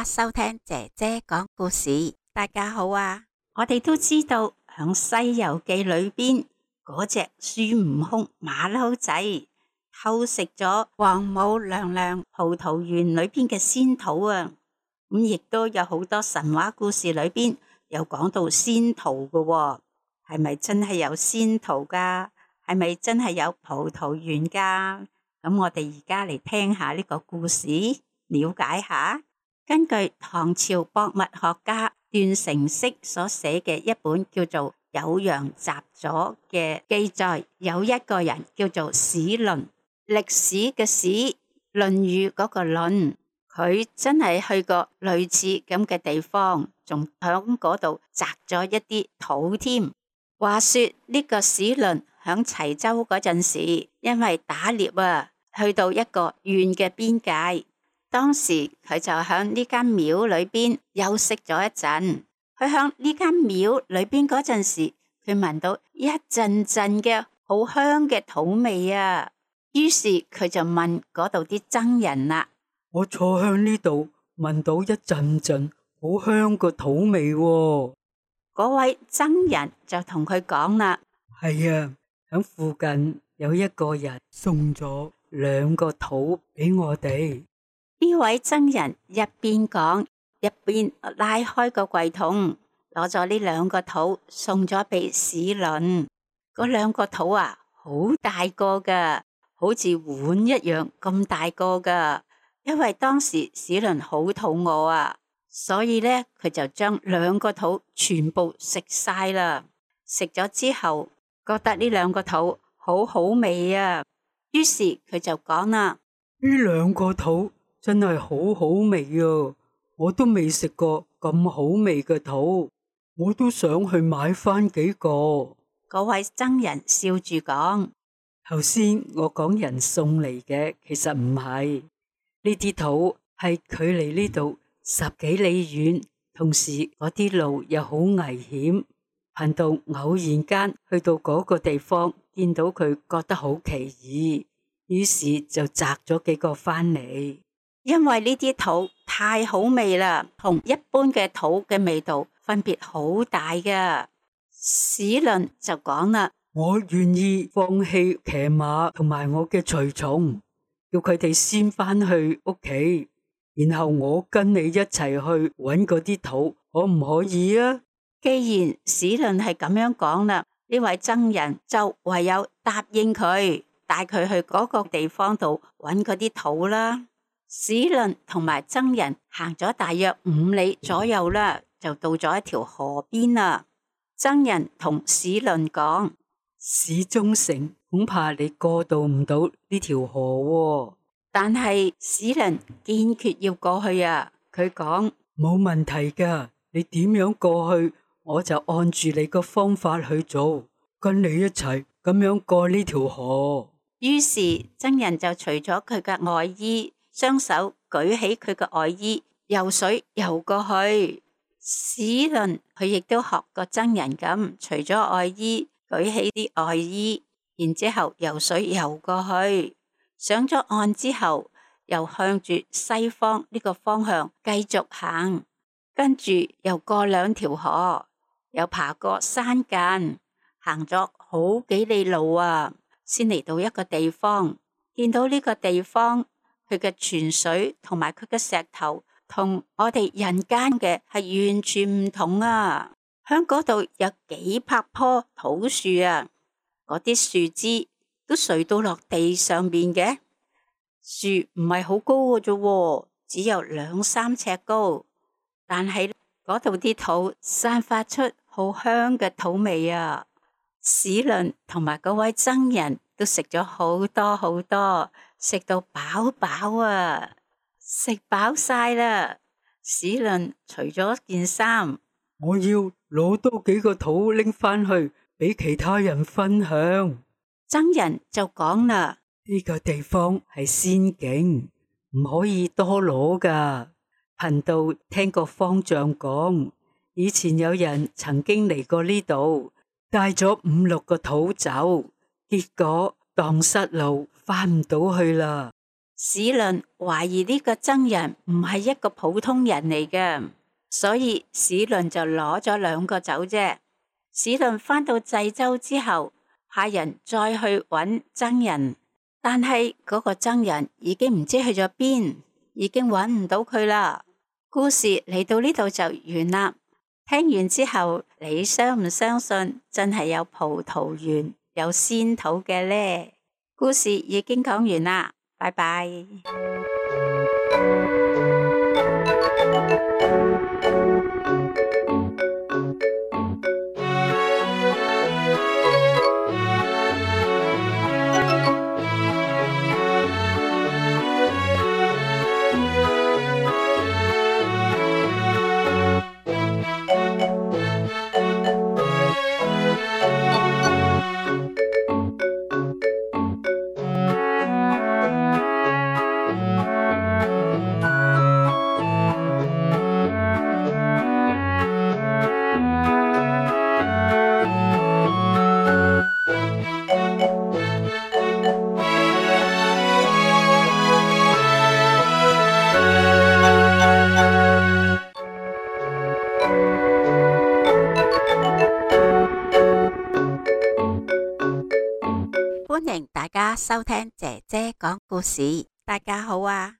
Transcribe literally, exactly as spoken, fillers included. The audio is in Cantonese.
家收聽姐姐講故事。大家好啊！我哋都知道響《西遊記》裏邊嗰隻孫悟空馬騮仔偷食咗王母娘娘葡萄園裏邊嘅仙桃啊！咁亦都有好多神話故事裏邊有講到仙桃嘅喎，係咪真係有仙桃噶？係咪真係有葡萄園噶？咁我哋而家嚟聽下呢個故事，了解下。根據唐朝博物學家段成式所寫嘅一本叫做《酉陽雜俎》嘅記載，有一個人叫做史倫，歷史嘅史，論語嗰個論，佢真係去過類似咁嘅地方，仲響嗰度摘咗一啲桃添。話說呢個史倫響齊州嗰陣時，因為打獵啊，去到一個縣嘅邊界。當時佢就響呢間廟裏邊休息咗一陣。佢響呢間廟裏邊嗰陣時，佢聞到一陣陣嘅好香嘅桃味啊。於是佢就問嗰度啲僧人啦：我坐響呢度，聞到一陣陣好香個桃味喎。嗰位僧人就同佢講啦：係啊，響附近有一個人送咗兩個桃俾我哋。呢位僧人一邊講，一邊拉開個櫃桶，攞咗呢兩個桃送咗俾史倫。嗰兩個桃啊，好大個噶，好似碗一樣咁大個噶。因為當時史倫好肚餓啊，所以咧佢就將兩個桃全部食晒啦。食咗之後，覺得呢兩個桃好好味啊，於是佢就講啦：呢兩個桃真係好好味啊！我都未食過咁好味嘅桃，我都想去買翻幾個。嗰位僧人笑住講：頭先我講人送嚟嘅，其實唔係。呢啲桃係距離呢度十幾里遠，同時嗰啲路又好危險。貧道偶然間去到嗰個地方，見到佢覺得好奇異，於是就摘咗幾個翻嚟。因為呢啲桃太好味啦，同一般嘅桃嘅味道分別好大㗎。史倫就講啦：我願意放棄騎馬同埋我嘅隨從，叫佢哋先返去屋企，然後我跟你一齊去搵嗰啲桃，可唔可以啊？既然史倫係咁樣講啦，呢位僧人就唯有答應佢，帶佢去嗰個地方度搵嗰啲桃啦。史倫同埋僧人行咗大約五里左右啦，就到咗一條河邊啦。僧人同史倫講：史中丞，恐怕你過渡唔到呢條河喎。但係史倫堅決要過去啊！佢講：冇問題噶，你點樣過去，我就按住你個方法去做，跟你一齊咁樣過呢條河。於是僧人就除咗佢嘅外衣，雙手舉起佢嘅外衣，游水游過去。史倫佢亦都學個僧人咁，除咗外衣，舉起啲外衣，然之後游水游過去。上咗岸之後，又向住西方呢個方向繼續行，跟住又過兩條河，又爬過山澗，行咗好幾里路啊，先嚟到一個地方。見到呢個地方，佢嘅泉水同埋佢嘅石頭，同我哋人間嘅係完全唔同啊！響嗰度有幾百棵桃樹啊，嗰啲樹枝都垂到落地上邊嘅。樹唔係好高嘅啫，只有兩三尺高，但係嗰度啲桃散發出好香嘅桃味啊！史倫同埋嗰位僧人都食咗好多好多，食到飽飽啊！食飽晒啦，史倫除咗件衫，我要攞多幾個桃拎返去俾其他人分享。僧人就講啦：呢個地方係仙境，唔可以多攞噶。貧道聽過方丈講，以前有人曾經嚟過呢度，帶咗五六個桃走，結果蕩失路，翻唔到去啦。史倫懷疑呢個僧人唔係一個普通人嚟嘅，所以史倫就攞咗兩個走啫。史倫返到濟州之後，派人再去揾僧人，但係嗰個僧人已經唔知去咗邊，已經揾唔到佢啦。故事嚟到呢度就完啦。聽完之後，你相唔相信真係有葡萄園有仙土嘅呢？故事已經講完啦，拜拜。歡迎大家收聽姐姐講故事。大家好啊！